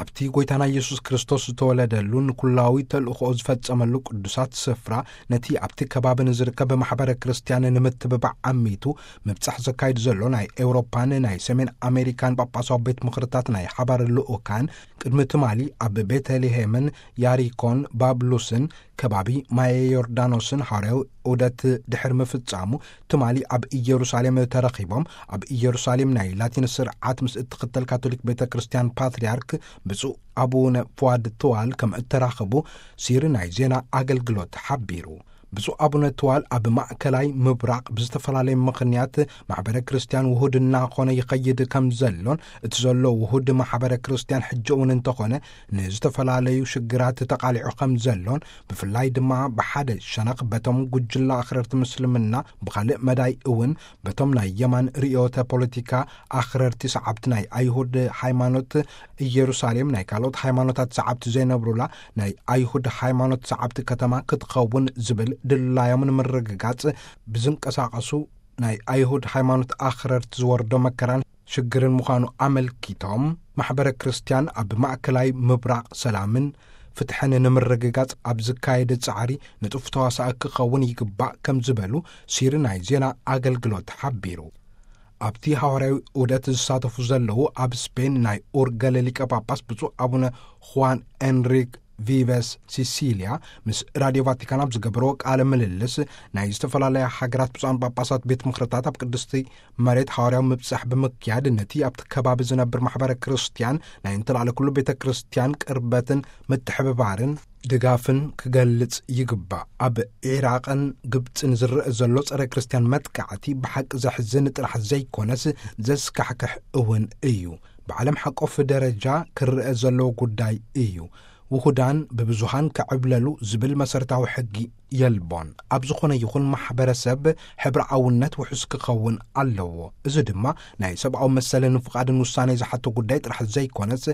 ኣብቲ ጐይታና ኢየሱስ ክርስቶስ ዝተወለደሉ ንኩላዊ ተልእኾ ዝፈጸመሉ ቅዱሳት ስፍራ፣ ነቲ ኣብቲ ከባቢ ንዝርከብ ማሕበረ ክርስቲያን ንምትብባዕ ዓሚቱ ምብጻሕ ዘካይድ ዘሎ ናይ ኤውሮፓን ናይ ሰሜን ኣሜሪካን ጳጳሳዊ ቤት ምኽርታት ናይ ሓባር ልኡካን፣ ቅድሚ ትማሊ ኣብ ቤተልሔምን ያሪኮን ባብሉስን ከባቢ ማየ ዮርዳኖስን ሐዋርያዊ ዑደት ድሕሪ ምፍጻሙ፣ ትማሊ ኣብ ኢየሩሳሌም ተረኺቦም፣ ኣብ ኢየሩሳሌም ናይ ላቲን ስርዓት ምስ እትኽተል ካቶሊክ ቤተ ክርስቲያን ፓትርያርክ ብፁዕ ኣቡነ ፉዋድ ትዋል ከም እተራኸቡ ሲሪ ናይ ዜና ኣገልግሎት ሓቢሩ። ብፁዕ ኣቡነ ትዋል ኣብ ማእከላይ ምብራቕ ብዝተፈላለየ ምኽንያት ማሕበረ ክርስቲያን ውሁድ እናኾነ ይኸይድ ከም ዘሎን፣ እቲ ዘሎ ውሁድ ማሕበረ ክርስቲያን ሕጂ እውን እንተኾነ ንዝተፈላለዩ ሽግራት ተቓሊዑ ከም ዘሎን፣ ብፍላይ ድማ ብሓደ ሸነኽ በቶም ጉጅለ ኣኽረርቲ ምስልምና፣ ብኻልእ መዳይ እውን በቶም ናይ የማን ርእዮተ ፖለቲካ ኣኽረርቲ ሰዓብቲ ናይ ኣይሁድ ሃይማኖት ኢየሩሳሌም ናይ ካልኦት ሃይማኖታት ሰዓብቲ ዘይነብሩላ ናይ ኣይሁድ ሃይማኖት ሰዓብቲ ከተማ ክትኸውን ዝብል ድላዮም ንምርግጋጽ ብዝንቀሳቐሱ ናይ ኣይሁድ ሃይማኖት ኣኽረርቲ ዝወርዶ መከራን ሽግርን ምዃኑ ኣመልኪቶም፣ ማሕበረ ክርስቲያን ኣብ ማእከላይ ምብራቕ ሰላምን ፍትሕን ንምርግጋጽ ኣብ ዝካየድ ጻዕሪ ንጡፍ ተዋሳኢ ክኸውን ይግባእ ከም ዝበሉ ሲሪ ናይ ዜና ኣገልግሎት ሓቢሩ። ኣብቲ ሃዋርያዊ ዑደት ዝሳተፉ ዘለዉ ኣብ ስፔን ናይ ኡርገለ ሊቀ ጳጳስ ብፁዕ ኣቡነ ኹዋን ኤንሪክ ቪቨስ ሲሲልያ ምስ ራድዮ ቫቲካን ኣብ ዝገበርዎ ቃለ ምልልስ፣ ናይ ዝተፈላለያ ሃገራት ብፁዓን ጳጳሳት ቤት ምኽርታት ኣብ ቅድስቲ መሬት ሃዋርያዊ ምብጻሕ ብምክያድ፣ ነቲ ኣብቲ ከባቢ ዝነብር ማሕበረ ክርስቲያን ናይ እንተላዕለ ኩሉ ቤተ ክርስቲያን ቅርበትን ምትሕብባርን ድጋፍን ክገልጽ ይግባእ። ኣብ ዒራቕን ግብጽን ዝረአ ዘሎ ጸረ ክርስቲያን መጥቃዕቲ ብሓቂ ዘሕዝን ጥራሕ ዘይኮነስ ዘስካሕክሕ እውን እዩ። ብዓለም ሓቆፍ ደረጃ ክረአ ዘለዎ ጉዳይ እዩ። ውሁዳን ብብዙሃን ክዕብለሉ ዝብል መሰረታዊ ሕጊ የልቦን። ኣብ ዝኾነ ይኹን ማሕበረሰብ ሕብርዓውነት ውሑስ ክኸውን ኣለዎ። እዚ ድማ ናይ ሰብኣዊ መሰልን ፍቓድን ውሳኔ ዝሓቶ ጉዳይ ጥራሕ ዘይኮነስ፣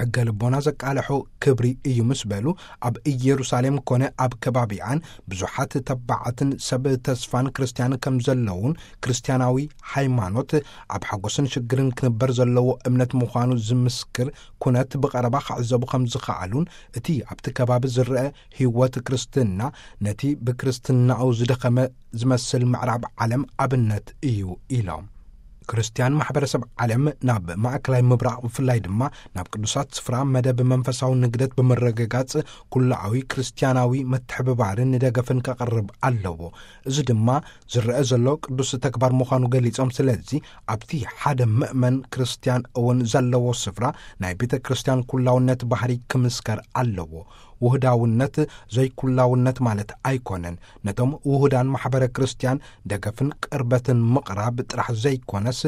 ሕገ ልቦና ዘቃልሖ ክብሪ እዩ ምስ በሉ፣ ኣብ ኢየሩሳሌም ኮነ ኣብ ከባቢኣን ብዙሓት ተባዓትን ሰብ ተስፋን ክርስቲያን ከም ዘለውን፣ ክርስቲያናዊ ሃይማኖት ኣብ ሓጎስን ሽግርን ክንበር ዘለዎ እምነት ምዃኑ ዝምስክር ኩነት ብቐረባ ክዕዘቡ ከም ዝኸኣሉን፣ እቲ ኣብቲ ከባቢ ዝረአ ህይወት ክርስትና ነቲ ብክርስትናኡ ዝደኸመ ዝመስል ምዕራብ ዓለም ኣብነት እዩ ኢሎም። ክርስትያን ማሕበረሰብ ዓለም ናብ ማእከላይ ምብራቕ፣ ብፍላይ ድማ ናብ ቅዱሳት ስፍራ መደብ መንፈሳዊ ንግደት ብምርግጋጽ፣ ኩላዊ ክርስትያናዊ ምትሕብባርን ደገፍን ከቕርብ ኣለዎ። እዚ ድማ ዝረአ ዘሎ ቅዱስ ተግባር ምዃኑ ገሊጾም፣ ስለዚ ኣብቲ ሓደ ምእመን ክርስትያን እውን ዘለዎ ስፍራ ናይ ቤተ ክርስትያን ኩላውነት ባህሪ ክምስከር ኣለዎ። ውህዳውነት ዘይኩላውነት ማለት ኣይኮነን። ነቶም ውሁዳን ማሕበረ ክርስትያን ደገፍን ቅርበትን ምቕራብ ጥራሕ ዘይኮነስ፣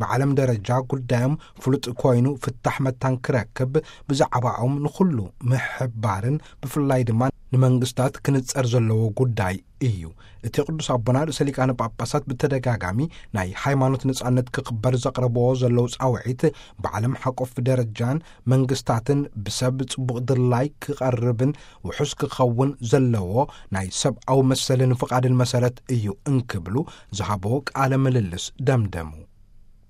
ብዓለም ደረጃ ጉዳዮም ፍሉጥ ኮይኑ ፍታሕ መታን ክረክብ፣ ብዛዕባኦም ንኹሉ ምሕባርን ብፍላይ ድማ ንመንግስታት ክንጸር ዘለዎ ጉዳይ እዩ። እቲ ቅዱስ ኣቦና ርእሰ ሊቃነ ጳጳሳት ብተደጋጋሚ ናይ ሃይማኖት ነጻነት ክኽበር ዘቕረብዎ ዘለዉ ጻውዒት፣ ብዓለም ሓቆፍ ደረጃን መንግስታትን ብሰብ ጽቡቕ ድላይ ክቐርብን ውሑስ ክኸውን ዘለዎ ናይ ሰብኣዊ መሰልን ፍቓድን መሰረት እዩ እንክብሉ ዝሃብዎ ቃለ ምልልስ ደምደሙ።